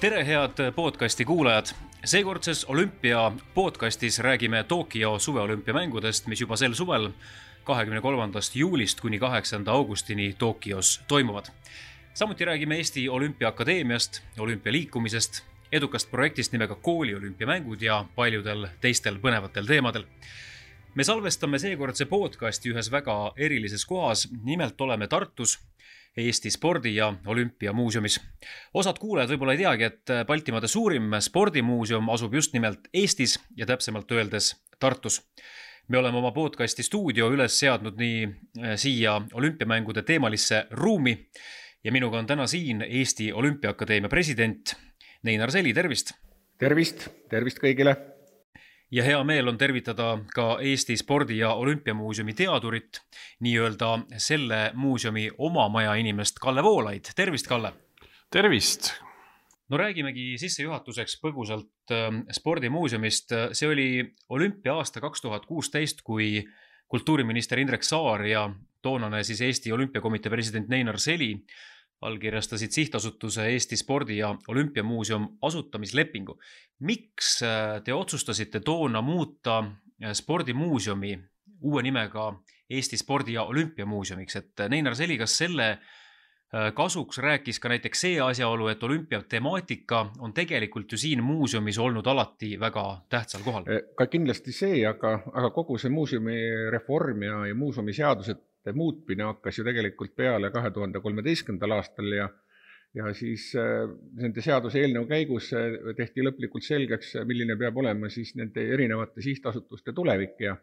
Tere head podcasti kuulajad! Seekordses Olümpia podcastis räägime Tokyo suveolümpiamängudest, mis juba sel suvel 23. juulist kuni 8. augustini Tokyos toimuvad. Samuti räägime Eesti Olümpiaakadeemiast, olümpialiikumisest, edukast projektist nimega Kooli olümpiamängud ja paljudel teistel põnevatel teemadel. Me salvestame seekordse podcasti ühes väga erilises kohas, nimelt oleme Tartus, Eesti spordi- ja olümpiamuuseumis. Osad kuulajad võib-olla ei teagi, et Baltimaade suurim spordimuuseum asub just nimelt Eestis ja täpsemalt öeldes Tartus. Me oleme oma podcasti stuudio üles seadnud nii siia olümpiamängude teemalisse ruumi ja minuga on täna siin Eesti Olümpiaakadeemia president Neinar Seli, tervist! Tervist kõigile! Ja hea meel on tervitada ka Eesti spordi- ja olümpiamuuseumi teadurit, nii-öelda selle muuseumi oma maja inimest Kalle Voolaid. Tervist, Kalle! Tervist! No räägimegi sissejuhatuseks põgusalt spordimuuseumist. See oli olümpia aasta 2016, kui kultuuriminister Indrek Saar ja toonane siis Eesti Olümpiakomitee president Neinar Seli allkirjastasid sihtasutuse Eesti spordi- ja olümpiamuuseum asutamislepingu. Miks te otsustasite toona muuta spordimuuseumi uue nimega Eesti spordi- ja olümpiamuuseumiks? Et Neinar Seli, kas selle kasuks rääkis ka näiteks see asjaolu, et olümpia temaatika on tegelikult ju siin muuseumis olnud alati väga tähtsal kohal? Ka kindlasti see, aga kogu see muuseumi reform ja muuseumi seadused muutmine hakkas ju tegelikult peale 2013. aastal ja siis nende seaduse eelnõu käigus tehti lõplikult selgeks, milline peab olema siis nende erinevate sihtasutuste tulevik ja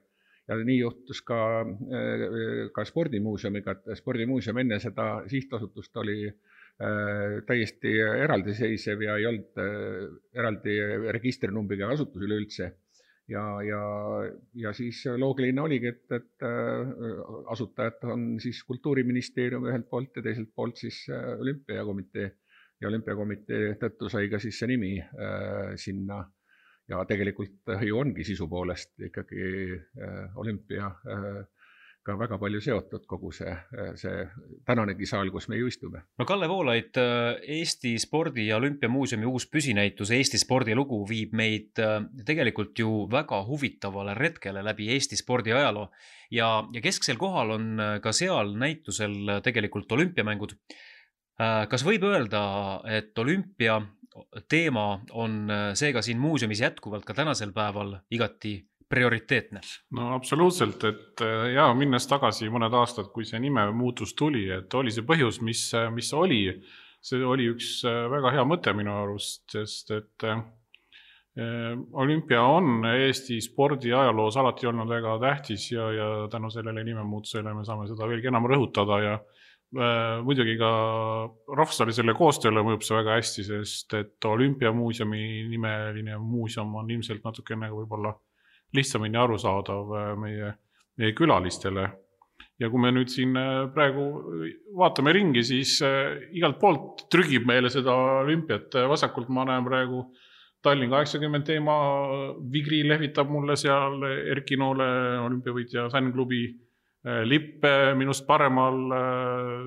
nii juhtus ka spordimuuseumiga, et spordimuuseum enne seda sihtasutust oli täiesti eraldiseisev ja ei olnud eraldi registrinumbriga asutus üleüldse. Ja siis loogiline oligi, et asutajad on siis Kultuuriministeerium ühelt poolt ja teiselt poolt siis Olümpiakomitee ja Olümpiakomitee tõttu sai ka siis see nimi sinna ja tegelikult ju ongi sisu poolest ikkagi olümpia ka väga palju seotud kogu see tänanegi saal, kus me ju istume. No Kalle Voolaid, Eesti spordi- ja olümpiamuuseumi uus püsinäitus Eesti spordilugu viib meid tegelikult ju väga huvitavale retkele läbi Eesti spordi ajaloo ja kesksel kohal on ka seal näitusel tegelikult olümpiamängud. Kas võib öelda, et olümpia teema on seega siin muuseumis jätkuvalt ka tänasel päeval igati prioriteetne? No absoluutselt, et minnes tagasi mõned aastad, kui see nime muutus tuli, et oli see põhjus, mis oli. See oli üks väga hea mõte minu arust, sest et olümpia on Eesti spordi ajaloos alati olnud väga tähtis ja tänu sellele nimemuutusele me saame seda veelgi enam rõhutada ja muidugi ka rahvusvahelisele koostööle mõjub see väga hästi, sest et olümpiamuuseumi nimeline muuseum on ilmselt natukene võib-olla lihtsamini arusaadav meie külalistele. Ja kui me nüüd siin praegu vaatame ringi, siis igalt poolt trügib meile seda olümpiat. Vasakult ma näen praegu Tallinn 80 teema, Vigri lehvitab mulle seal, Erki Noole olümpiavõitja Sännklubi lipp, minust paremal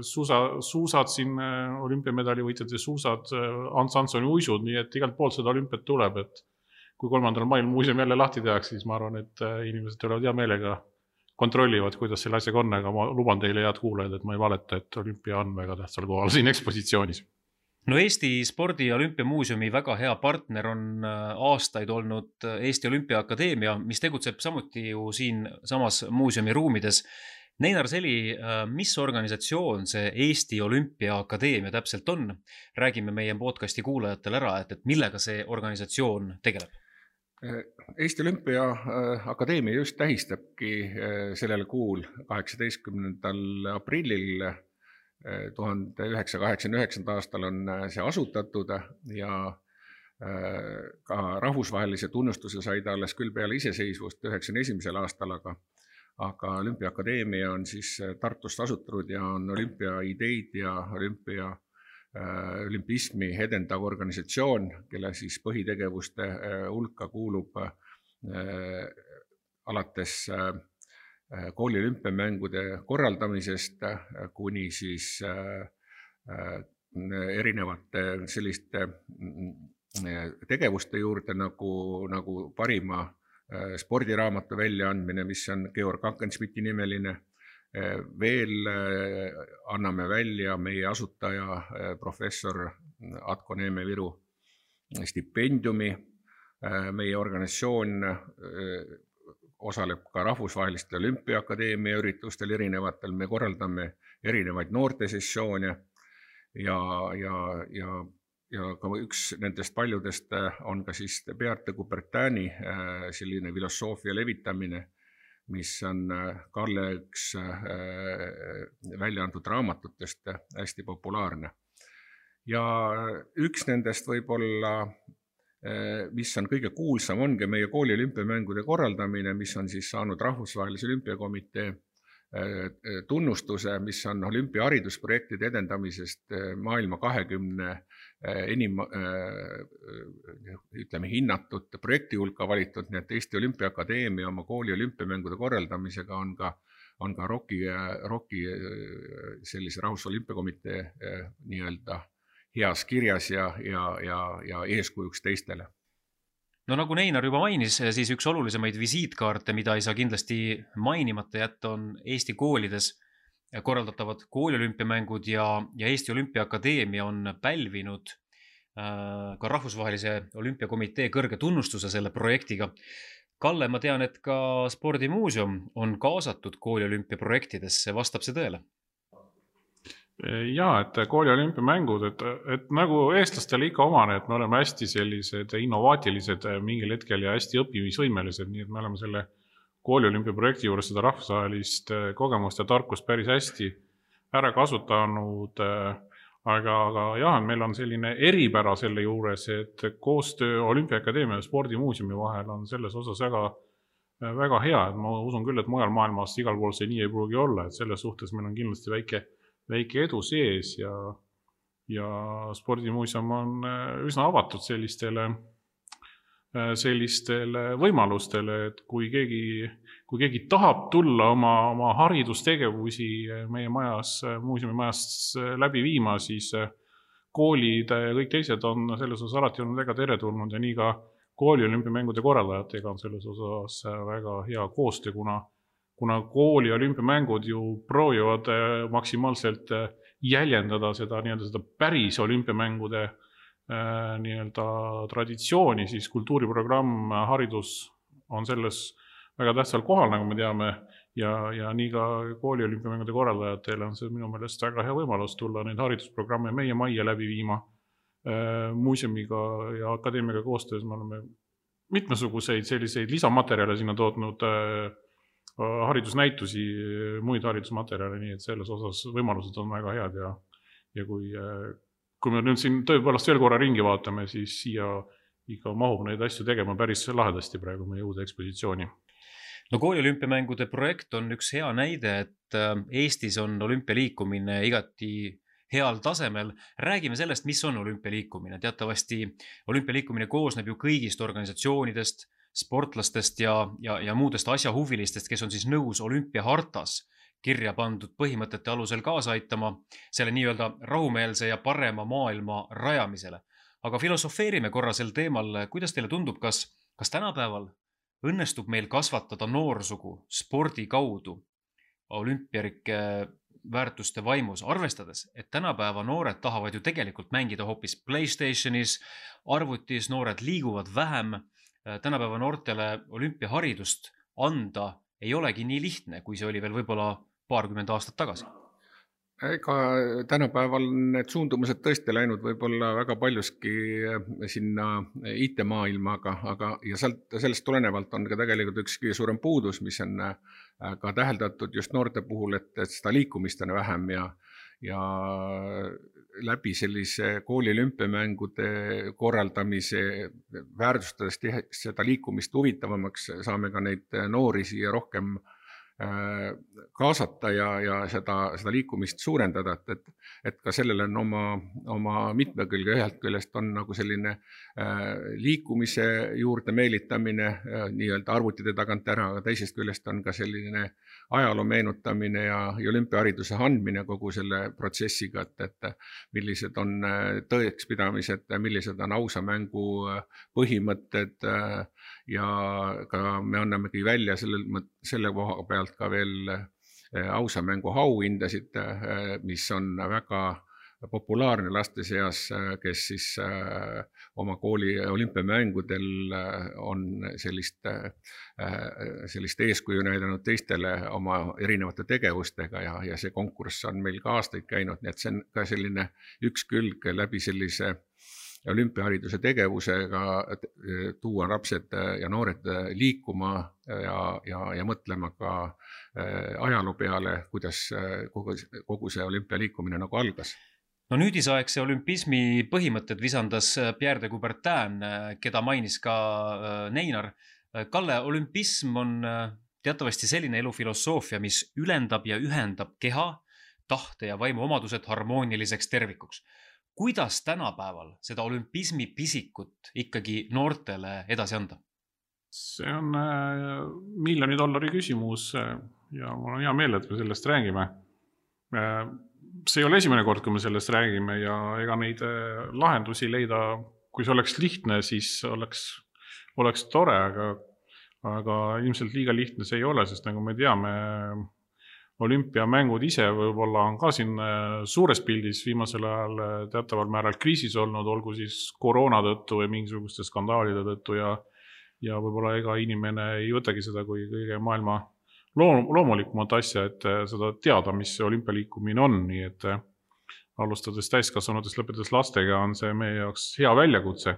suusad siin olümpiamedali võitjate suusad, Ants Hansoni uisud, nii et igalt poolt seda olümpiat tuleb, et kui 3. mail muuseum jälle lahti tehakse, siis ma arvan, et inimesed tulevad hea meelega kontrollivad, kuidas selle asjaga on, aga ma luban teile head kuulajad, et ma ei valeta, et olümpia on väga tähtsal kohal siin ekspositsioonis. No Eesti spordi- ja olümpiamuuseumi väga hea partner on aastaid olnud Eesti Olümpiaakadeemia, mis tegutseb samuti ju siin samas muuseumi ruumides. Neinar Seli, mis organisatsioon see Eesti Olümpiaakadeemia täpselt on? Räägime meie podcasti kuulajatele ära, et millega see organisatsioon tegeleb? Eesti Olümpiaakadeemia just tähistabki sellel kuul 18. aprillil 1989. aastal on see asutatud ja ka rahvusvahelise tunnustuse sai ta alles küll peale iseseisvust 1991. aastal, aga Olümpiaakadeemia on siis Tartust asutatud ja on olümpia ideid ja olümpismi edendav organisatsioon, kelle siis põhitegevuste hulka kuulub alates kooli olümpiamängude korraldamisest kuni siis erinevate selliste tegevuste juurde nagu parima spordiraamatu väljaandmine, mis on Georg Akensmiti nimeline. Veel anname välja meie asutaja professor Atko Neeme Viru stipendiumi. Meie organisatsioon osaleb ka rahvusvahelistel olümpiaakadeemia üritustel erinevatel. Me korraldame erinevaid noortesessioone ja ka üks nendest paljudest on ka siis Beate Coubertini selline filosoofia levitamine, mis on Kalle üks välja antud raamatutest hästi populaarne. Ja üks nendest võib-olla, mis on kõige kuulsam, ongi meie kooli olümpiamängude korraldamine, mis on siis saanud Rahvusvahelise Olümpiakomitee tunnustuse, mis on olümpiaharidusprojektide edendamisest maailma 20 enim hinnatud projekti hulka valitud, nii et Eesti Olümpiaakadeemia oma kooli olümpiamängude korraldamisega on ka ROK-i sellise Rahvusolümpiakomitee nii-öelda heas kirjas ja eeskujuks teistele. No nagu Neinar juba mainis, siis üks olulisemaid visiitkaarte, mida ei saa kindlasti mainimata jätta, on Eesti koolides korraldatavad kooliolümpiamängud ja Eesti Olümpiaakadeemia on pälvinud ka Rahvusvahelise Olümpiakomitee kõrge tunnustuse selle projektiga. Kalle, ma tean, et ka Spordimuuseum on kaasatud kooliolümpiaprojektidesse, vastab see tõele? Jaa, et kooli olümpiamängud, et nagu eestlastele ikka omane, et me oleme hästi sellised innovaatilised mingil hetkel ja hästi õppimisvõimelised, nii et me oleme selle kooli olümpiaprojekti juures seda rahvusvahelist kogemust ja tarkust päris hästi ära kasutanud, aga jah, meil on selline eripära selle juures, et koostöö Olümpiaakadeemia ja Spordimuuseumi vahel on selles osas väga hea, et ma usun küll, et mujal maailmas igal pool see nii ei pruugi olla, et selles suhtes meil on kindlasti väike edu sees ja Spordimuuseum on üsna avatud sellistele võimalustele, et kui keegi tahab tulla oma haridustegevusi meie majas, muuseumi majas läbi viima, siis koolid ja kõik teised on selles osas alati olnud väga teretulnud ja nii ka kooli olümpiamängude korraldajatega on selles osas väga hea koostöö, kuna kooli olümpiamängud ju proovivad maksimaalselt jäljendada seda päris olümpiamängude traditsiooni, siis kultuuriprogramm, haridus on selles väga tähtsal kohal, nagu me teame, ja nii ka kooli olümpiamängude korraldajatele on see minu meelest väga hea võimalus tulla neid haridusprogramme meie majja läbi viima. Muuseumiga ja akadeemiaga koostöös me oleme mitmesuguseid selliseid lisamaterjale sinna tootnud haridusnäitusi, muid haridusmaterjale, nii et selles osas võimalused on väga head ja kui me nüüd siin tõepoolest veel korra ringi vaatame, siis siia ikka mahub neid asju tegema päris lahedasti praegu meie uude ekspositsiooni. No kooli olümpiamängude projekt on üks hea näide, et Eestis on olümpialiikumine igati heal tasemel. Räägime sellest, mis on olümpialiikumine. Teatavasti olümpialiikumine koosneb ju kõigist organisatsioonidest, sportlastest ja muudest asjahuvilistest, kes on siis nõus olümpiahartas kirja pandud põhimõtete alusel kaasa aitama selle nii-öelda rahumeelse ja parema maailma rajamisele. Aga filosofeerime korra sel teemal, kuidas teile tundub, kas tänapäeval õnnestub meil kasvatada noorsugu spordi kaudu olümpiarike väärtuste vaimus, arvestades, et tänapäeva noored tahavad ju tegelikult mängida hoopis PlayStationis, arvutis, noored liiguvad vähem. Tänapäeva noortele olümpiaharidust anda ei olegi nii lihtne, kui see oli veel võib-olla paarkümmend aastat tagasi. Ega tänapäeval need suundumused tõesti läinud võib-olla väga paljuski sinna IT-maailmaga, ja sellest tulenevalt on ka tegelikult üks kõige suurem puudus, mis on ka täheldatud just noorte puhul, et seda liikumist on vähem ja läbi sellise kooli olümpiamängude korraldamise väärtustades seda liikumist huvitavamaks saame ka neid noori siia rohkem kaasata ja seda liikumist suurendada, et ka sellel on oma mitmekülge, ühelt küljest on nagu selline liikumise juurde meelitamine nii-öelda arvutide tagant ära, aga teisest küljest on ka selline ajaloo meenutamine ja olümpiahariduse andmine kogu selle protsessiga, et millised on tõekspidamised, millised on ausa mängu põhimõtted ja ka me annamegi välja selle koha pealt ka veel ausa mängu auhindasid, mis on väga populaarne laste seas, kes siis oma kooli olümpiamängudel on sellist eeskuju näidanud teistele oma erinevate tegevustega ja see konkurss on meil ka aastaid käinud, nii et see on ka selline üks külg läbi sellise olümpiahariduse tegevusega tuua lapsed ja noored liikuma ja mõtlema ka ajaloo peale, kuidas kogu see olümpialiikumine nagu algas. No nüüdisaegse olümpismi põhimõtted visandas Pierre de Coubertin, keda mainis ka Neinar. Kalle, olümpism on teatavasti selline elufilosoofia, mis ülendab ja ühendab keha, tahte ja vaimu omadused harmooniliseks tervikuks. Kuidas tänapäeval seda olümpismi pisikut ikkagi noortele edasi anda? See on $1 miljoni küsimus ja mul on hea meel, et me sellest räägime. See ei ole esimene kord, kui me sellest räägime ja ega neid lahendusi leida, kui see oleks lihtne, siis oleks tore, aga ilmselt liiga lihtne see ei ole, sest nagu me teame, olümpiamängud ise võib-olla on ka siin suures pildis viimasel ajal teataval määral kriisis olnud, olgu siis koroona tõttu või mingisuguste skandaalide tõttu ja võib-olla ega inimene ei võtagi seda kui kõige maailma loomulikumat asja, et seda teada, mis see olümpialiikumine on, nii et alustades täiskasvanutest lõpetades lastega on see meie jaoks hea väljakutse.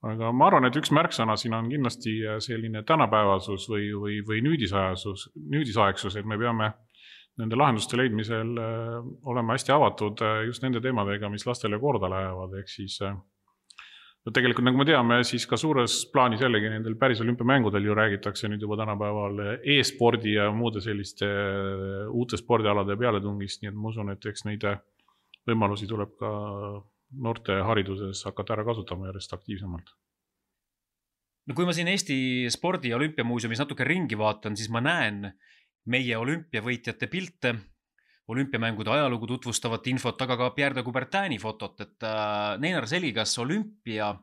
Aga ma arvan, et üks märksõna siin on kindlasti selline tänapäevasus või nüüdisaegsus, et me peame nende lahenduste leidmisel olema hästi avatud just nende teemadega, mis lastele korda lähevad, ehk siis tegelikult, nagu me teame, siis ka suures plaanis jällegi nendel päris olümpiamängudel ju räägitakse nüüd juba tänapäeval e-spordi ja muude selliste uute spordialade pealetungist, nii et ma usun, et eks neid võimalusi tuleb ka noorte hariduses hakata ära kasutama järjest aktiivsemalt. No kui ma siin Eesti spordi- ja olümpiamuuseumis natuke ringi vaatan, siis ma näen meie olümpiavõitjate pilte, olümpiamängude ajalugu tutvustavat infot, aga ka Pierre de Coubertini fotot, et Neinar Seli, kas olümpia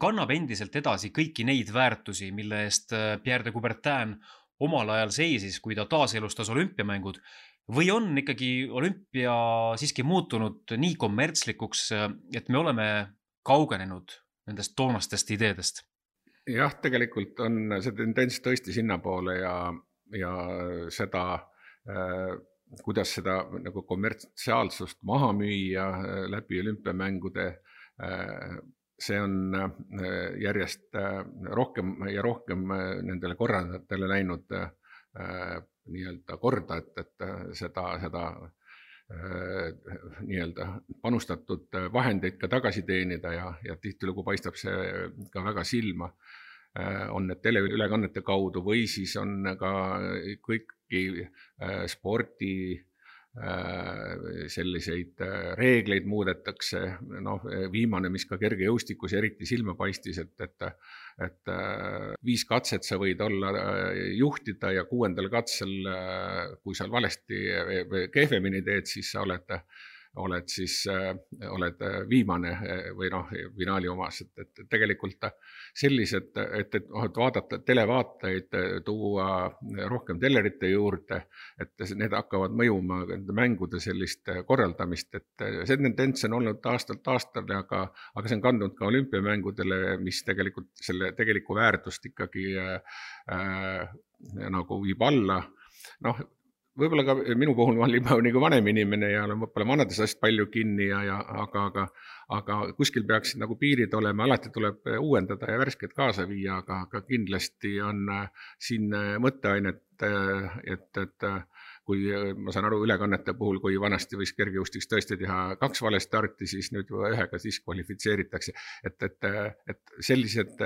kannab endiselt edasi kõiki neid väärtusi, mille eest Pierre de Coubertin omal ajal seisis, kui ta taaselustas olümpiamängud, või on ikkagi olümpia siiski muutunud nii kommertslikuks, et me oleme kaugenenud nendest toonastest ideedest? Jah, tegelikult on see tendents tõesti sinnapoole ja seda, kuidas seda nagu kommertsiaalsust maha müüa läbi olümpiamängude, see on järjest rohkem ja rohkem nendele korraldajatele läinud nii-öelda korda, et seda nii-öelda panustatud vahendeid ka tagasi teenida ja tihtilugu paistab see ka väga silma. On need teleülekannete kaudu või siis on ka kõiki spordi selliseid reegleid muudetakse. Viimane, mis ka kergejõustikus eriti silma paistis, et 5 katset sa võid olla juhtida ja 6. katsel, kui sa valesti või kehvemini teed, siis sa oled viimane või finaali omas, et tegelikult sellised, et vaadata televaatajaid, tuua rohkem telerite juurde, et need hakkavad mõjuma mängude sellist korraldamist, et see tendents on olnud aastalt aastale, aga see on kandunud ka olümpiamängudele, mis tegelikult selle tegeliku väärtust ikkagi nagu viib alla. Võib-olla ka minu puhul ma olin nagu vanem inimene ja olen võib-olla vanades asjad palju kinni, aga kuskil peaks nagu piirid olema, alati tuleb uuendada ja värsket kaasa viia, aga kindlasti on siin mõtteainet, et kui ma saan aru ülekannete puhul, kui vanasti võis kergejõustiks tõesti teha 2 vale starti, siis nüüd 1 diskvalifitseeritakse, et sellised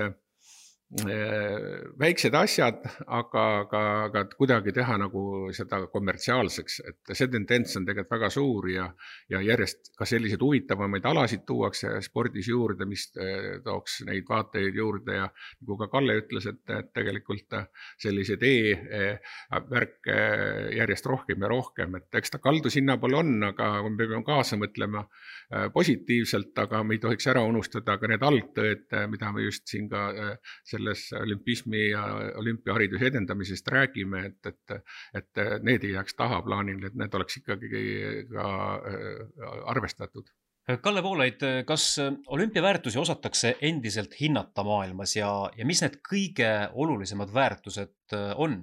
väiksed asjad, aga kuidagi teha nagu seda kommertsiaalseks, et see tendents on tegelikult väga suur ja järjest ka selliseid huvitavamaid alasid tuuakse spordis juurde, mis tooks neid vaateid juurde ja nagu ka Kalle ütles, et tegelikult sellised e-värke järjest rohkem ja rohkem, et eks ta kaldu sinna poole on, aga me peame kaasa mõtlema positiivselt, aga me ei tohiks ära unustada ka need algtööd, mida me just siin ka selles olümpismi ja olümpiahariduse edendamisest räägime, et need ei jääks tahaplaanil, et need oleks ikkagi ka arvestatud. Kalle Voolaid, kas olümpiaväärtusi osatakse endiselt hinnata maailmas ja mis need kõige olulisemad väärtused on?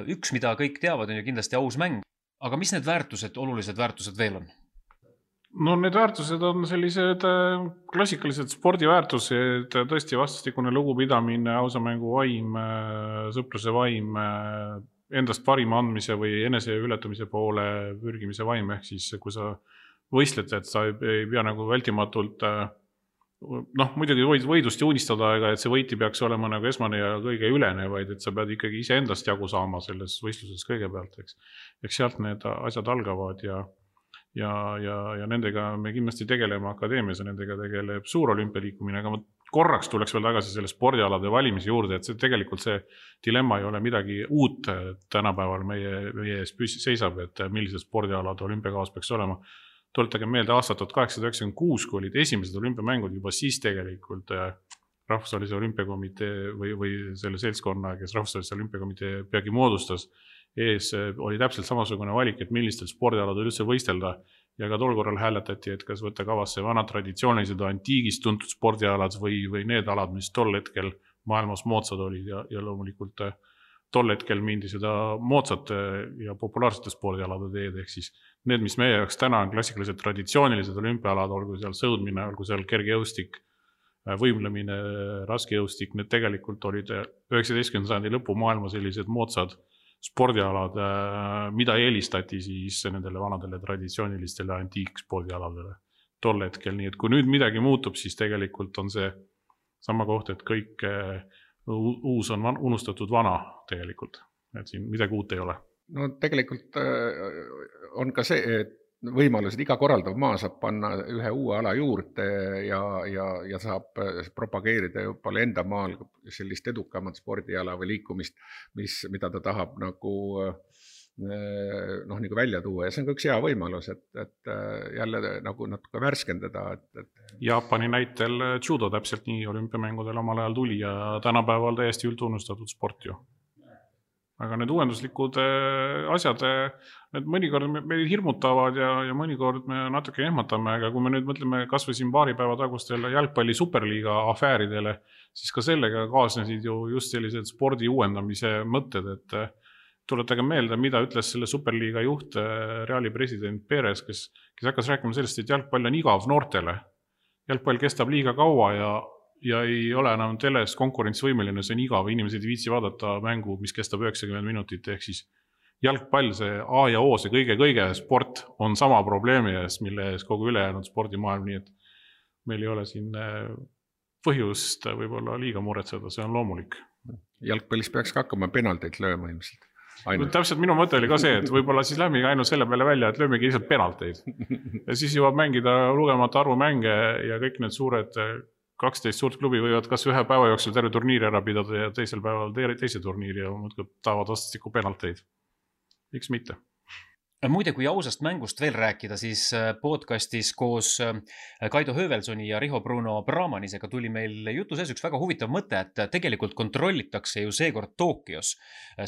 Üks, mida kõik teavad, on ju kindlasti aus mäng, aga mis need olulised väärtused veel on? No need väärtused on sellised klassikalised spordiväärtused, tõesti vastastikune lugupidamine, ausa mängu vaim, sõpruse vaim, endast parima andmise või enese ületamise poole pürgimise vaim, ehk siis kui sa võistled, et sa ei pea nagu vältimatult, muidugi võidust unistada, ega et see võit ei peaks olema nagu esmane ja kõige ülene, vaid et sa pead ikkagi ise endast jagu saama selles võistluses kõigepealt, eks sealt need asjad algavad ja nendega me kindlasti tegeleme akadeemias ja nendega tegeleb suur olümpialiikumine, aga ma korraks tuleks veel tagasi selle spordialade valimise juurde, et see tegelikult see dilemma ei ole midagi uut tänapäeval meie ees seisab, et millised spordialad olümpiakavas peaks olema. Tuletage meelde aastat 1896, kui olid esimesed olümpiamängud, juba siis tegelikult Rahvusvahelise olümpiakomitee või selle seltskonna, kes Rahvusvahelise olümpiakomitee peagi moodustas, ees oli täpselt samasugune valik, et millistel spordialadel üldse võistelda ja ka tol korral hääletati, et kas võtta kavasse vanad traditsioonilised antiigist tuntud spordialad või need alad, mis tol hetkel maailmas moodsad olid ja loomulikult tol hetkel mindi seda moodsate ja populaarsete spordialade teed, ehk siis need, mis meie jaoks täna on klassikalised traditsioonilised olümpialad, olgu seal sõudmine, olgu seal kergejõustik, võimlemine, raskejõustik, need tegelikult olid 19. sajandi lõpu maailma sellised moodsad spordialad, mida eelistati siis nendele vanadele traditsioonilistele antiikspordialadele tol hetkel. Nii et kui nüüd midagi muutub, siis tegelikult on see sama koht, et kõik uus on unustatud vana tegelikult. Et siin midagi uut ei ole. No tegelikult on ka see, et võimalus, et iga korraldav maa saab panna ühe uue ala juurde ja saab propageerida juba enda maal sellist edukamat spordiala või liikumist, mida ta tahab nagu välja tuua. Ja see on ka üks hea võimalus, et jälle nagu natuke värskendada. Jaapani näitel judo täpselt nii olümpiamängudel omal ajal tuli ja tänapäeval täiesti üldtunnustatud sport ju. Aga need uuenduslikud asjad, need mõnikord meid hirmutavad ja mõnikord me natuke ehmatame, aga kui me nüüd mõtleme kas või siin paari päeva tagustele jalgpalli superliiga afääridele, siis ka sellega kaasnesid ju just sellised spordi uuendamise mõtted, et tuletage meelde, mida ütles selle superliiga juht, Reali president Perez, kes hakkas rääkima sellest, et jalgpall on igav noortele. Jalgpall kestab liiga kaua ja ei ole enam teles konkurentsivõimeline, see on igav, inimesed ei viitsi vaadata mängu, mis kestab 90 minutit, ehk siis jalgpall, see A ja O, see kõige sport on sama probleemi ees, mille ees kogu ülejäänud spordimaailm, nii et meil ei ole siin põhjust võib-olla liiga muretseda, see on loomulik. Jalgpallis peaks ka hakkama penalteid lööma ilmselt. Täpselt minu mõte oli ka see, et võib-olla siis lähmegi ainult selle peale välja, et löömegi lihtsalt penalteid. Ja siis jõuab mängida lugemata arvu mänge ja kõik need suured 12 suurt klubi võivad kas ühe päeva jooksul terve turniiri ära pidada ja teisel päeval teise turniiri ja muudkui taavad vastastikku penalteid. Miks mitte? Muide, kui ausast mängust veel rääkida, siis podcastis koos Kaido Höövelsoni ja Riho Bruno Brahmanisega tuli meil jutu sees üks väga huvitav mõte, et tegelikult kontrollitakse ju seekord Tokios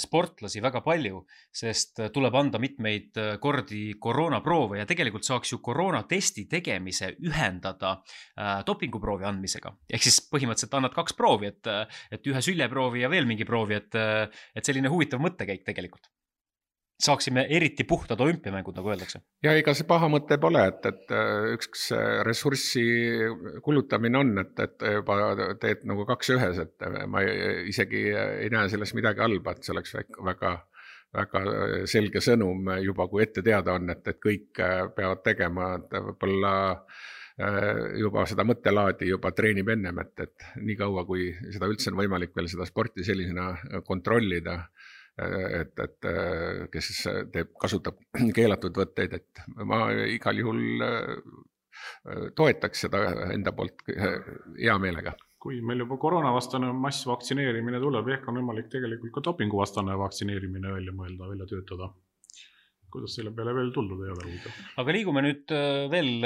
sportlasi väga palju, sest tuleb anda mitmeid kordi koroonaproove ja tegelikult saaks ju koroonatesti tegemise ühendada dopinguproovi andmisega. Ehk siis põhimõtteliselt annad 2 proovi, et ühe süljeproovi ja veel mingi proovi, et selline huvitav mõttekäik tegelikult. Saaksime eriti puhtad olümpiamängud, nagu öeldakse. Ja ega see paha mõte pole, et üks ressurssi kulutamine on, et juba teed nagu 2 ühes, et ma isegi ei näe selles midagi halba, et see oleks väga selge sõnum juba, kui ette teada on, et kõik peavad tegema, et võib-olla juba seda mõttelaadi juba treenib ennem, et nii kaua, kui seda üldse on võimalik veel seda sporti sellisena kontrollida, et kes kasutab keelatud võtteid, et ma igal juhul toetaks seda enda poolt hea meelega. Kui meil juba koroonavastane massvaktsineerimine tuleb, ehk on võimalik tegelikult ka dopinguvastane vaktsineerimine välja töötada. Kuidas selle peale veel tuldud ei ole huvitav? Aga liigume nüüd veel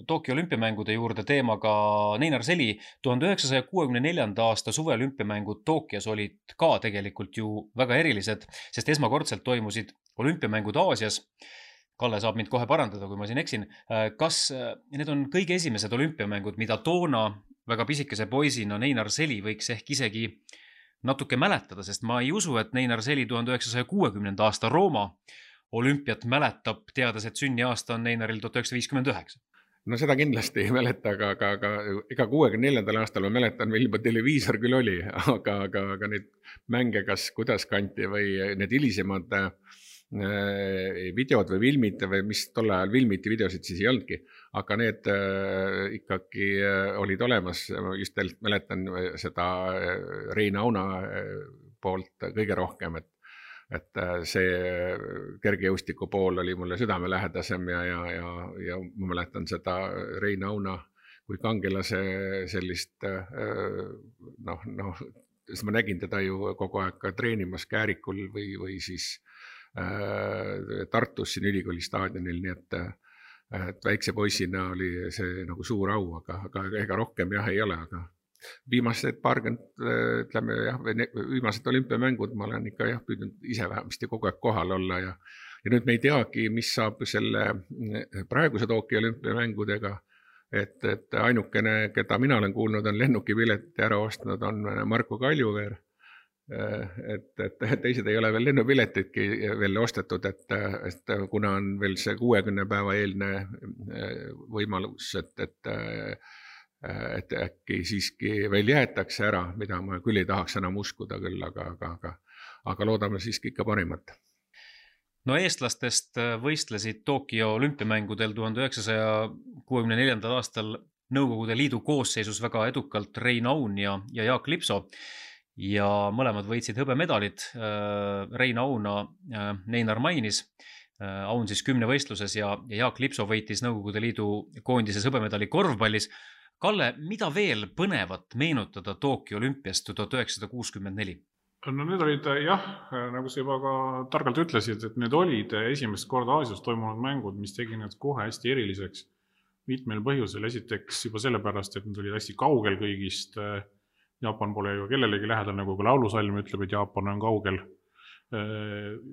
Tokyo olümpiamängude juurde teemaga Neinar Seli. 1964. aasta suveolümpiamängud Tokyos olid ka tegelikult ju väga erilised, sest esmakordselt toimusid olümpiamängud Aasias. Kalle saab mind kohe parandada, kui ma siin eksin. Kas need on kõige esimesed olümpiamängud, mida toona väga pisikese poisina Neinar Seli võiks ehk isegi natuke mäletada, sest ma ei usu, et Neinar Seli 1960. aasta Rooma olümpiat mäletab, teades, et sünniaasta on Neinaril 1959. No seda kindlasti ei mäleta, aga ega 64. aastal ma mäletan, meil juba televiisor küll oli, aga neid mänge kas kuidas kanti või need hilisemad videod või filmid või mis tol ajal filmiti, videosid siis ei olnudki, aga need ikkagi olid olemas. Just mäletan seda Rein Auna poolt kõige rohkem, et see kergejõustiku pool oli mulle südamelähedasem ja ma mäletan seda Rein Auna kui kangelase sellist siis ma nägin teda ju kogu aeg ka treenimas Käärikul või siis Tartus siin ülikooli staadionil, nii et väikse poisina oli see nagu suur au, aga ega rohkem jah ei ole, aga viimased viimased olümpiamängud ma olen ikka püüdnud ise vähemasti kogu aeg kohal olla ja nüüd me ei teagi, mis saab selle praeguse Tokyo olümpiamängudega, et ainukene, keda mina olen kuulnud, on lennukipileti ära ostnud, on Marko Kaljuveer. Et teised ei ole veel lennupiletidki veel ostetud, et kuna on veel see 60 päeva eelne võimalus, et äkki siiski veel jäetakse ära, mida ma küll ei tahaks enam uskuda küll, aga loodame siiski ikka parimat. No eestlastest võistlesid Tokyo olümpiamängudel 1964. aastal Nõukogude Liidu koosseisus väga edukalt Rein Aun ja Jaak Lipso. Ja mõlemad võitsid hõbemedalid. Rein Auna Neinar mainis, Aun siis 10 võistluses ja Jaak Lipso võitis Nõukogude Liidu koondises hõbemedali korvpallis. Kalle, mida veel põnevat meenutada Tokyo olümpiast 1964? No need olid nagu sa juba ka targalt ütlesid, et need olid esimest korda Aasias toimunud mängud, mis tegi need kohe hästi eriliseks mitmel põhjusel. Esiteks juba sellepärast, et need olid hästi kaugel kõigist. Jaapan pole ju kellelegi lähedal, nagu ka laulusalm ütleb, et Jaapan on kaugel.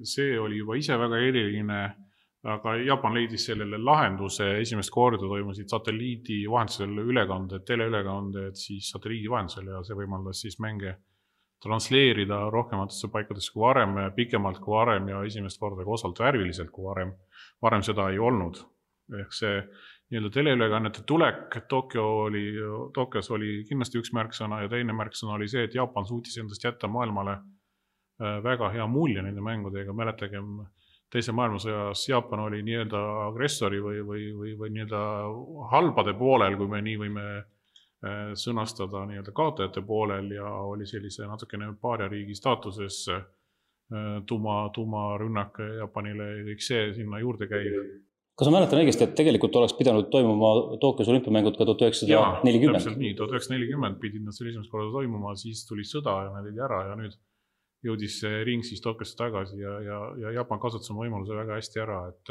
See oli juba ise väga eriline, aga Jaapan leidis sellele lahenduse. Esimest korda toimusid satelliidi vahendusel ülekanded, teleülekanded siis satelliidi vahendusel ja see võimaldas siis mänge transleerida rohkematesse paikadesse kui varem, pikemalt kui varem ja esimest korda ka osalt värviliselt kui varem. Varem seda ei olnud. Ehk see teleülekannete tulek Tokyos oli kindlasti üks märksõna ja teine märksõna oli see, et Jaapan suutis endast jätta maailmale väga hea mulje nende mängudega. Mäletagem, teise maailmasõjas Jaapan oli nii-öelda agressori või nii-öelda halbade poolel, kui me nii võime sõnastada nii-öelda kaotajate poolel ja oli sellise natukene paariariigi staatuses tuumarünnak Jaapanile ja kõik see sinna juurde käib. Kas ma mäletan õigesti, et tegelikult oleks pidanud toimuma Tokyos olümpiamängud ka 1940? Jaa, täpselt nii. 1940 pidid nad selle esimest korda toimuma, siis tuli sõda ja nad olid ära ja nüüd jõudis see ring siis Tokyosse tagasi ja Jaapan kasutas oma võimaluse väga hästi ära, et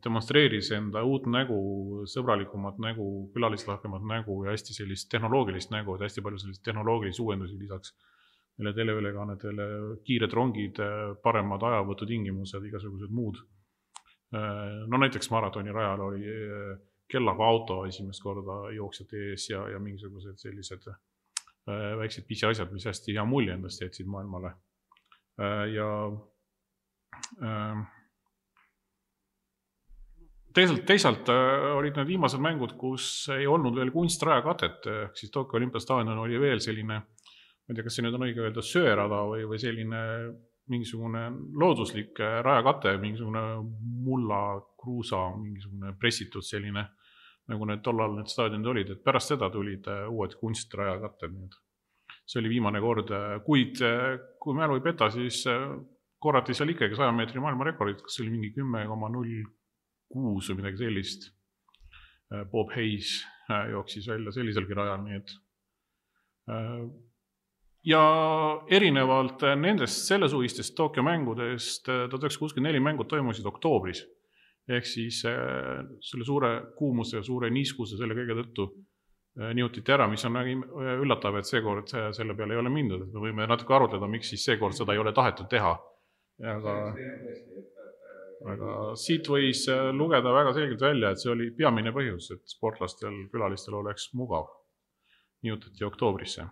demonstreeris enda uut nägu, sõbralikumat nägu, külalislahkemat nägu ja hästi sellist tehnoloogilist nägu, et hästi palju sellist tehnoloogilisi uuendusi lisaks meile teleülekannetele, kiired rongid, paremad ajavõtutingimused, igasugused muud. No näiteks maratoni rajal oli kellaga auto esimest korda jooksjate ees ja mingisugused sellised väiksed pisiasjad, mis hästi hea mulje endast jätsid maailmale. Ja teisalt olid need viimased mängud, kus ei olnud veel kunstraja-katet, siis Tokyo olümpiastaadion oli veel selline, ma ei tea, kas see nüüd on õige öelda söörada või selline mingisugune looduslik rajakate, mingisugune mulla, kruusa, mingisugune pressitud selline nagu need tollal need staadionid olid, et pärast seda tulid uued kunstrajakatted. See oli viimane kord, kuid kui mälu ei peta, siis korrati seal ikkagi 100 meetri maailmarekordid, kas see oli mingi 10,06 või midagi sellist. Bob Hayes jooksis välja selliselgi rajal, nii et ja erinevalt nendest sellesuvistest Tokyo mängudest 1964 mängud toimusid oktoobris. Ehk siis selle suure kuumuse ja suure niiskuse selle kõige tõttu nihutiti ära, mis on üllatav, et seekord selle peale ei ole mindud. Me võime natuke arutleda, miks siis seekord seda ei ole tahetud teha. Aga siit võis lugeda väga selgelt välja, et see oli peamine põhjus, et sportlastel, külalistel oleks mugav. Nihutati oktoobrisse.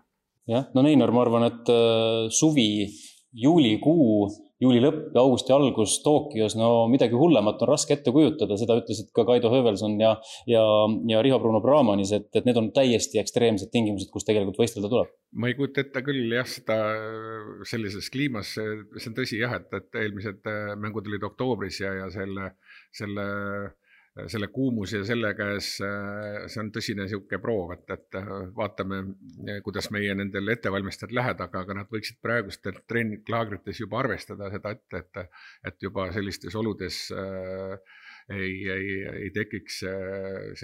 Jah, no Neinar, ma arvan, et suvi, juulikuu, juuli lõpp ja augusti algus Tokyos, no midagi hullemat on raske ette kujutada, seda ütlesid ka Kaido Hövelson ja Riho Bruno Brahmanis, et need on täiesti ekstreemsed tingimused, kus tegelikult võistelda tuleb. Ma ei kujuta ette küll jah, seda sellises kliimas, see on tõsi jah, et eelmised mängud olid oktoobris ja selle kuumus ja selle käes, see on tõsine siuke proov, et vaatame, kuidas meie nendel ettevalmistajad lähed, aga nad võiksid praegust treeninglaagrites juba arvestada seda et juba sellistes oludes ei tekiks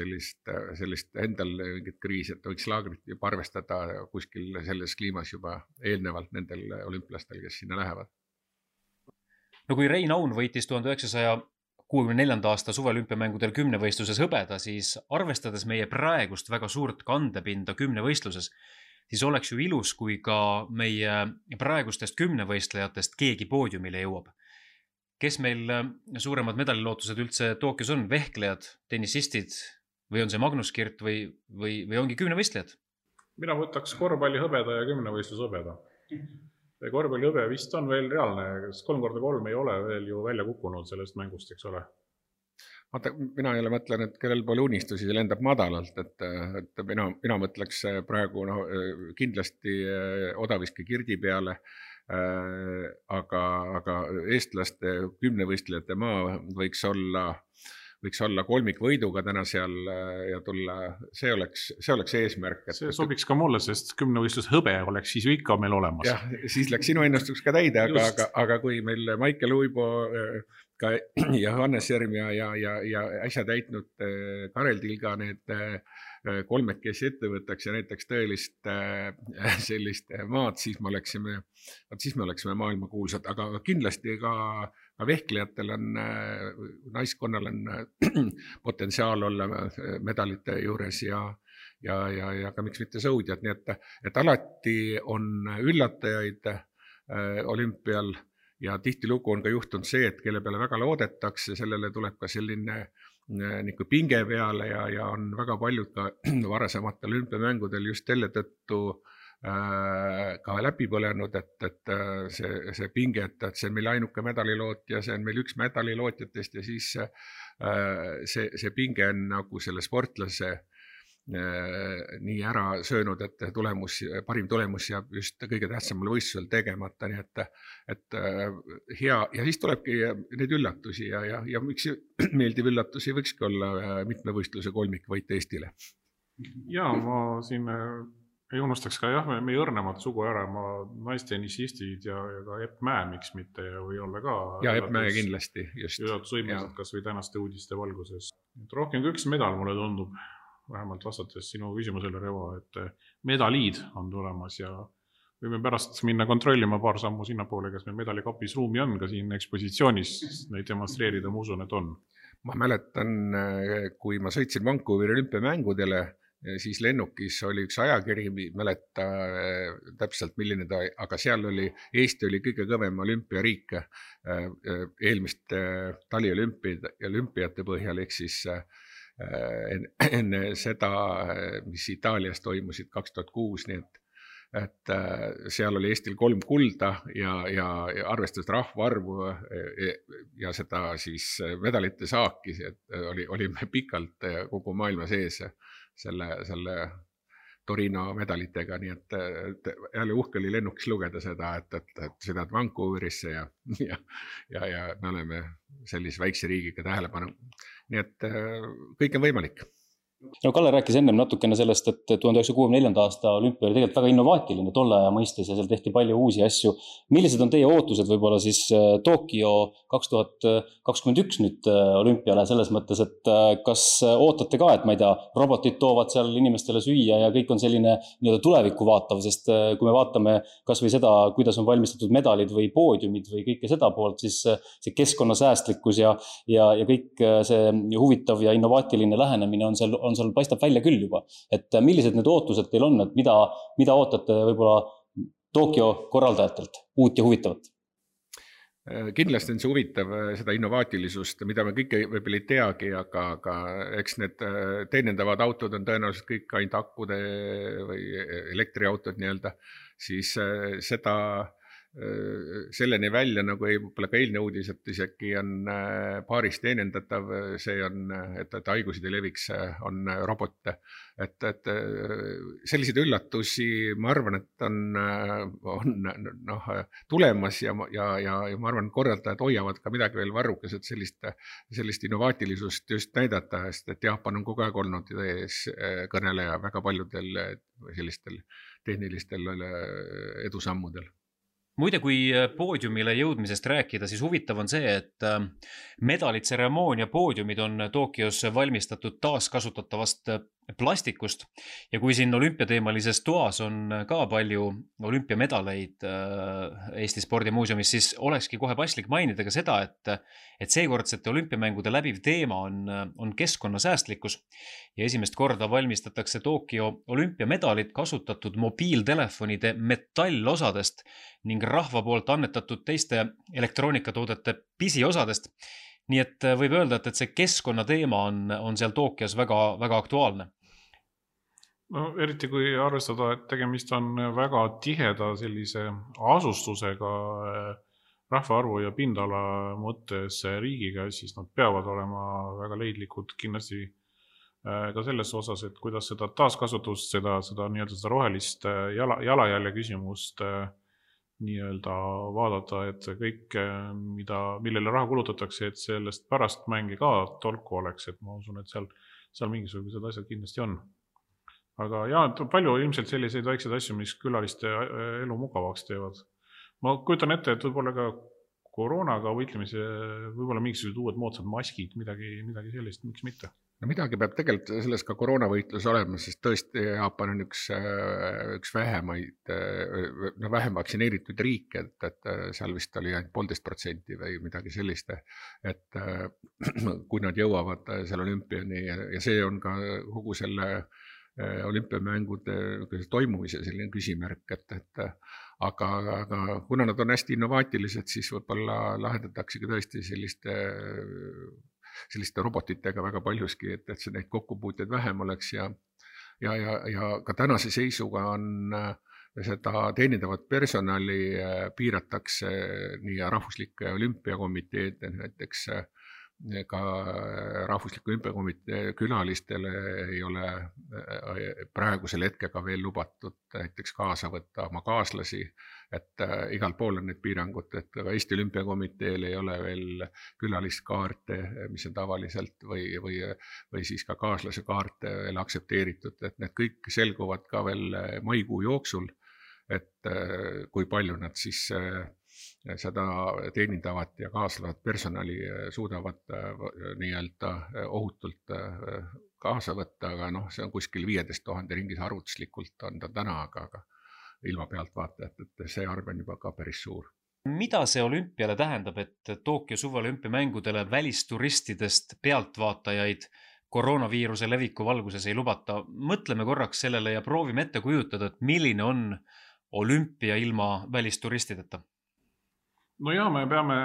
sellist endal mingit kriisi, et võiks laagrit juba arvestada kuskil selles kliimas juba eelnevalt nendel olümpilastel, kes sinna lähevad. No kui Rein Aun võitis 1964. aasta suveolümpiamängudel 10 võistluses hõbeda, siis arvestades meie praegust väga suurt kandepinda 10 võistluses, siis oleks ju ilus, kui ka meie praegustest 10 võistlejatest keegi poodiumile jõuab. Kes meil suuremad medalilootused üldse Tokyos on? Vehklejad, tennisistid või on see Magnus Kirt või ongi 10 võistlejad? Mina võtaks korvpalli hõbeda ja 10 võistlus hõbeda. Korvpalli hõbe vist on veel reaalne, 3x3 ei ole veel ju välja kukkunud sellest mängust, eks ole. Vaata, mina jälle mõtlen, et kellel pole unistusi, see lendab madalalt, et mina mõtleks praegu kindlasti Odaviski Kirdi peale, aga eestlaste 10 võistlejate maa võiks olla kolmikvõiduga täna seal ja tulla, see oleks eesmärk. See sobiks ka mulle, sest 10 võistlus hõbe oleks siis ju ikka meil olemas. Jah, siis läks sinu ennustus ka täide, aga kui meil Maicel Uibo ka Johannes Järm ja äsja täitnud Karel Tilga need kolmekesi ette võtaks ja näiteks tõelist sellist maad, siis me oleksime maailma kuulsad, aga kindlasti ka vehklejatel on, naiskonnal on potentsiaal olla medalite juures ja ka miks mitte sõudjad, nii et alati on üllatajaid olümpial ja tihtilugu on ka juhtunud see, et kelle peale väga loodetakse, sellele tuleb ka selline pinge peale ja on väga paljud ka varasematel olümpiamängudel just selle tõttu ka läbi põlenud, et see pinge, et see on meil ainuke medalilootja, see on meil üks medalilootjatest ja siis see pinge on nagu selle sportlase nii ära söönud, et parim tulemus jääb just kõige tähtsamal võistlusel tegemata, nii et hea ja siis tulebki neid üllatusi ja miks meeldiv üllatusi võikski olla mitme võistluse kolmikvõit Eestile. Ja ma siin ei unustaks ka meie õrnemad sugu ära, naistennisistid ja ka Epp Mäe, miks mitte või olla ka ja Epp Mäe kindlasti just üllatusvõimelised kas või tänaste uudiste valguses. Rohkem kui üks medal mulle tundub, vähemalt vastates sinu küsimusele, Revo, et medaliid on tulemas ja võime pärast minna kontrollima paar sammu sinna poole, kas meil medalikapis ruumi on ka siin ekspositsioonis neid demonstreerida, ma usun, et on. Ma mäletan, kui ma sõitsin Vancouveri olümpiamängudele, siis lennukis oli üks ajakiri, mäleta täpselt milline ta, aga seal Eesti oli kõige kõvem olümpiariik eelmiste taliolümpiate põhjal, ehk siis enne seda, mis Itaalias toimusid 2006, nii et seal oli Eestil 3 kulda ja arvestades rahvaarvu ja seda siis medalite saaki, et olime pikalt kogu maailma sees selle Torino medalitega, nii et jälle uhke oli lennukis lugeda seda, et sõidad Vancouverisse ja me oleme sellise väikse riigiga tähelepanu. Nii et kõik on võimalik. No Kalle rääkis ennem natukene sellest, et 1964. aasta olümpia oli tegelikult väga innovaatiline tolle aja mõistes ja seal tehti palju uusi asju. Millised on teie ootused võib-olla siis Tokyo 2021 nüüd olümpiale selles mõttes, et kas ootate ka, et ma ei tea, robotid toovad seal inimestele süüa ja kõik on selline nii-öelda tulevikku vaatav, sest kui me vaatame kas või seda, kuidas on valmistatud medalid või poodiumid või kõike seda poolt, siis see keskkonnasäästlikkus ja kõik see huvitav ja innovaatiline lähenemine on seal paistab välja küll juba. Et millised need ootused teil on, et mida ootate võib-olla Tokyo korraldajatelt uut ja huvitavat? Kindlasti on see huvitav, seda innovaatilisust, mida me kõike võib-olla ei teagi, aga eks need teenindavad autod on tõenäoliselt kõik ainult akkude või elektriautod nii-öelda, siis seda selleni välja, nagu võib-olla ka eilne uudis, et isegi on paaris teenindatav, see on, et haigused ei leviks, on robot. Et selliseid üllatusi, ma arvan, et on tulemas ja ma arvan, korraldajad hoiavad ka midagi veel varrukas, et sellist innovaatilisust just näidata, sest et Jaapan on kogu aeg olnud ees kõneleja väga paljudel sellistel tehnilistel edusammudel. Muide, kui poodiumile jõudmisest rääkida, siis huvitav on see, et medalitseremoonia poodiumid on Tokyos valmistatud taaskasutatavast plastikust ja kui siin olümpiateemalises toas on ka palju olümpiamedaleid Eesti spordimuuseumis, siis olekski kohe paslik mainida ka seda, et seekordsete olümpiamängude läbiv teema on keskkonnasäästlikkus ja esimest korda valmistatakse Tokyo olümpiamedalid kasutatud mobiiltelefonide metallosadest ning rahva poolt annetatud teiste elektroonikatoodete pisiosadest. Nii et võib öelda, et see keskkonnateema on seal Tokyos väga, väga aktuaalne. No, eriti kui arvestada, et tegemist on väga tiheda sellise asustusega rahvaarvu ja pindala mõttes riigiga, siis nad peavad olema väga leidlikud kindlasti ka selles osas, et kuidas seda taaskasutust, seda nii-öelda seda rohelist jalajälje küsimust nii-öelda vaadata, et kõik, millele raha kulutatakse, et sellest pärast mängi ka tolku oleks, et ma usun, et seal mingisugused asjad kindlasti on. Aga palju ilmselt selliseid väikseid asju, mis külaliste elu mugavaks teevad. Ma kujutan ette, et võib-olla ka koroonaga võitlemise, võib-olla mingisugused uued moodsad maskid, midagi sellist, miks mitte? No midagi peab tegelikult selles ka koroonavõitlus olema, sest tõesti Jaapan on üks vähem vaktsineeritud riik, et seal vist oli ainult 1,5% või midagi sellist, et kui nad jõuavad seal olümpiani ja see on ka kogu selle olümpiamängude toimumise selline küsimärk, aga kuna nad on hästi innovaatilised, siis võib-olla lahendataksegi tõesti selliste robotitega väga paljuski, et see neid kokkupuuteid vähem oleks ja ka tänase seisuga on seda teenindavat personali piiratakse nii rahvuslike olümpiakomiteed, näiteks ka rahvusliku olümpiakomitee külalistele ei ole praegusel hetkega veel lubatud näiteks kaasa võtta oma kaaslasi, et igal pool on need piirangud, et ka Eesti olümpiakomiteel ei ole veel külalistkaarte, mis on tavaliselt või siis ka kaaslase kaarte veel aksepteeritud, et need kõik selguvad ka veel maikuu jooksul, et kui palju nad siis seda teenindavat ja kaaslavat personali suudavad nii-öelda ohutult kaasa võtta, aga see on kuskil 15 000 ringis arvutuslikult on ta täna, aga ilma pealtvaatajat, et see arv on juba ka päris suur. Mida see olümpiale tähendab, et Tokyo suveolümpiamängudele välisturistidest pealtvaatajaid koroonaviiruse leviku valguses ei lubata? Mõtleme korraks sellele ja proovime ette kujutada, et milline on olümpia ilma välisturistideta? No ja, me peame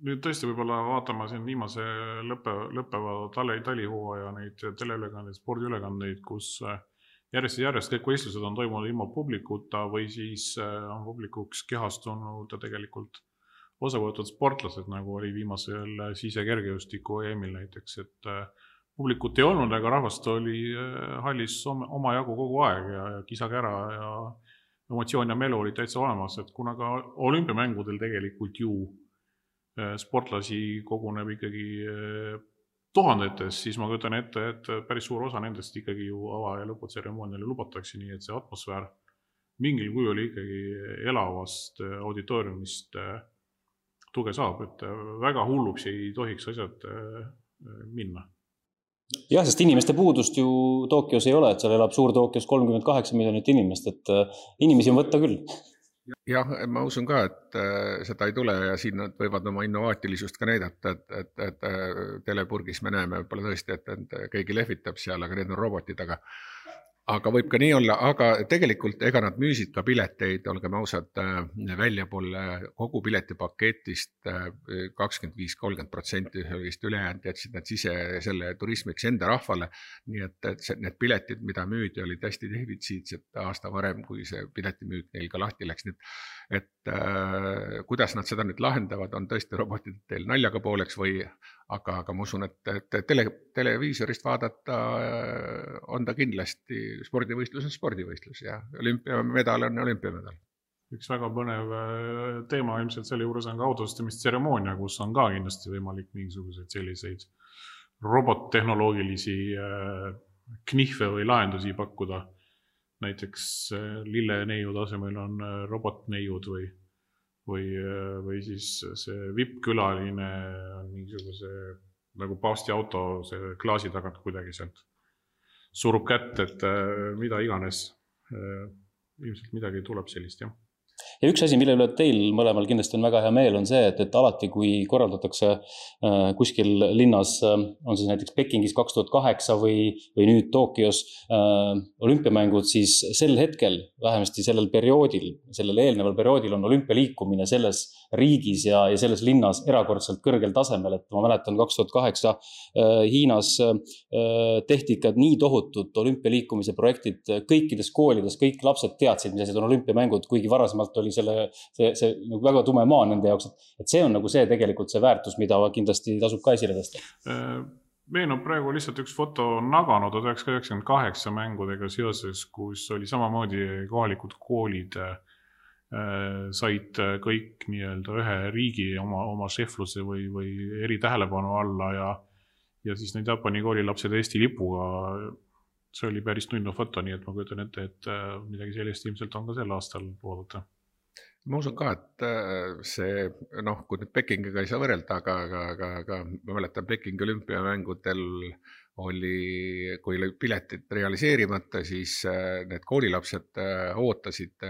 nüüd tõesti võib-olla vaatama siin viimase lõppeva talihooaja neid teleülekandeid, spordiülekandeid, kus järjest kõik võistlused on toimunud ilma publikuta või siis on publikuks kehastunud ja tegelikult osa võetud sportlased, nagu oli viimasel sisekergejõustiku EM-il näiteks, et publikut ei olnud, aga rahvast oli hallis oma jagu kogu aeg ja kisakära ja emotsioon ja melu oli täitsa olemas, et kuna ka olümpiamängudel tegelikult ju sportlasi koguneb ikkagi tuhandetes, siis ma kujutan ette, et päris suur osa nendest ikkagi ju ava- ja lõputseremooniale lubatakse, nii et see atmosfäär mingil kujul ikkagi elavast auditooriumist tuge saab, et väga hulluks ei tohiks asjad minna. Jah, sest inimeste puudust ju Tokyos ei ole, et seal elab suur Tokyos 38 miljonit inimest, et inimesi on võtta küll. Jah, ma usun ka, et seda ei tule ja siin nad võivad oma innovaatilisust ka näidata, et telepurgis me näeme võib-olla tõesti, et keegi lehvitab seal, aga need on robotid, aga võib ka nii olla, aga tegelikult ega nad müüsid ka pileteid, olgem ausad, väljapoole kogu piletipaketist 25-30% vist ülejäänud jätsid nad sise selle turismiks enda rahvale, nii et need piletid, mida müüdi, olid hästi defitsiitsed aasta varem, kui see piletimüük neil ka lahti läks, et kuidas nad seda nüüd lahendavad, on tõesti robotid teil naljaga pooleks või aga ma usun, et televiisorist vaadata on ta kindlasti spordivõistlus on spordivõistlus ja olümpiamedal on olümpiamedal. Üks väga põnev teema ilmselt selle juures on ka autostamistseremoonia, kus on ka kindlasti võimalik mingisuguseid selliseid robottehnoloogilisi knihve või lahendusi pakkuda. Näiteks lilleneiu tasemel on robotneiud või siis see VIP-külaline on mingisuguse nagu paavsti auto see klaasi tagant kuidagi sealt surub kätt, et mida iganes. Ilmselt midagi tuleb sellist, jah. Ja üks asi, mille üle teil mõlemal kindlasti on väga hea meel, on see, et alati, kui korraldatakse kuskil linnas, on siis näiteks Pekingis 2008 või nüüd Tokyos olümpiamängud, siis sel hetkel, vähemasti sellel eelneval perioodil on olümpialiikumine selles riigis ja selles linnas erakordselt kõrgel tasemel, et ma mäletan 2008 Hiinas tehti ikka nii tohutud olümpialiikumise projektid kõikides koolides, kõik lapsed teadsid, mis asjad on olümpiamängud, kuigi varasemalt oli see nagu väga tume maa nende jaoks, et see on nagu see tegelikult see väärtus, mida kindlasti tasub ka esile tõsta. Meenub praegu lihtsalt üks foto Nagano 1998 mängudega seoses, kus oli samamoodi kohalikud koolid said kõik nii-öelda ühe riigi oma šefluse või eri tähelepanu alla ja siis need Jaapani koolilapsed Eesti lipuga, see oli päris tunnu foto, nii et ma kujutan ette, et midagi sellist ilmselt on ka sel aastal oodata. Ma usun ka, et see, kui nüüd Pekingiga ei saa võrrelda, aga ma mäletan Pekingi olümpiamängudel kui oli piletid realiseerimata, siis need koolilapsed ootasid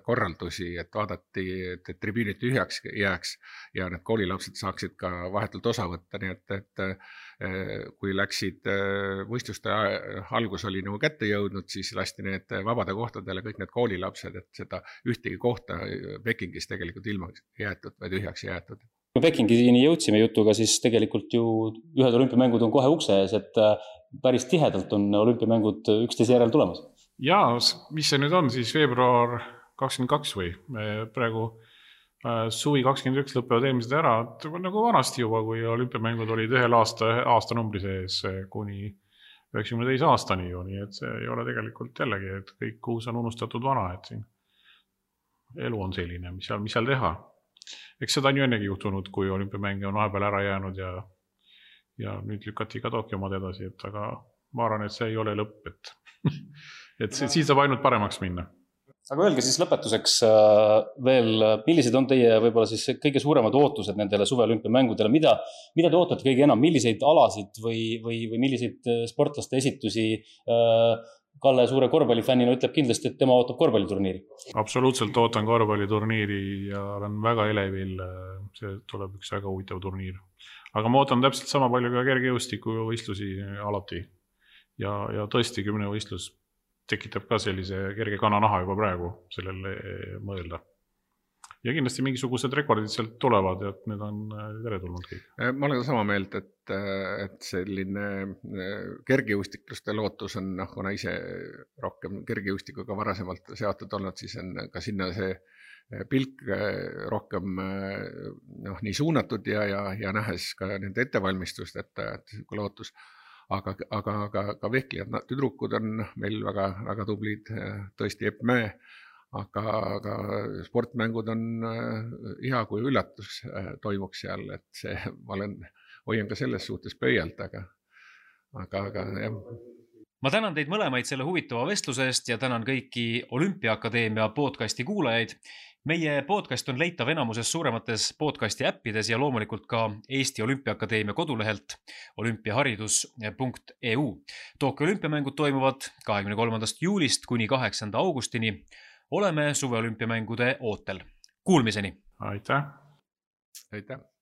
korraldusi, et vaadati, et tribüünid tühjaks jääks ja need koolilapsed saaksid ka vahetult osa võtta, nii et kui läksid võistluste algus oli nagu kätte jõudnud, siis lasti need vabade kohtadele kõik need koolilapsed, et seda ühtegi kohta Pekingis tegelikult ilma jäetud või tühjaks jäetud. Kui Pekingini jõudsime jutuga, siis tegelikult ju ühed olümpiamängud on kohe ukse ees, et päris tihedalt on olümpiamängud üksteise järel tulemas. Ja, mis see nüüd on, siis veebruar 22 või praegu suvi 21 lõpevad eelmised ära, nagu vanasti juba, kui olümpiamängud olid ühel aastanumbri sees kuni 92 aastani ju, nii et see ei ole tegelikult jällegi, et kõik uus on unustatud vana, et siin elu on selline, mis seal teha. Eks seda on ju ennegi juhtunud, kui olümpiamänge on vahepeal ära jäänud ja nüüd lükati ka Tokyo omad edasi, et aga ma arvan, et see ei ole lõpp, et siis saab ainult paremaks minna. Aga öelge siis lõpetuseks veel, millised on teie võib-olla siis kõige suuremad ootused nendele suveolümpiamängudele, mida te ootate kõige enam, milliseid alasid või milliseid sportlaste esitusi Kalle suure korvpallifännina ütleb kindlasti, et tema ootab korvpalliturniiri. Absoluutselt ootan korvpalliturniiri ja olen väga elevil, see tuleb üks väga huvitav turniir. Aga ma ootan täpselt sama palju ka kergejõustiku võistlusi alati ja tõesti 10 võistlus tekitab ka sellise kerge kananaha juba praegu sellele mõelda. Ja kindlasti mingisugused rekordid sealt tulevad, et need on teretulnud kõik. Ma olen sama meelt, et selline kergejõustikluste lootus on, kuna ise rohkem kergejõustikuga varasemalt seotud olnud, siis on ka sinna see pilk rohkem nii suunatud ja nähes ka nende ettevalmistust, et lootus. Aga ka vehklijad, tüdrukud on meil väga tublid, tõesti Epp Mäe, aga sportmängud on hea, kui üllatus toimuks seal, et see, ma olen hoian ka selles suhtes pöialt, aga jah. Ma tänan teid mõlemaid selle huvitava vestluse eest ja tänan kõiki Olümpiaakadeemia podcasti kuulajaid. Meie podcast on leitav enamuses suuremates podcasti äppides ja loomulikult ka Eesti Olümpiaakadeemia kodulehelt olümpiaharidus.eu. Tokyo olümpiamängud toimuvad 23. juulist kuni 8. augustini. Oleme suveolümpiamängude ootel. Kuulmiseni! Aitäh! Aitäh!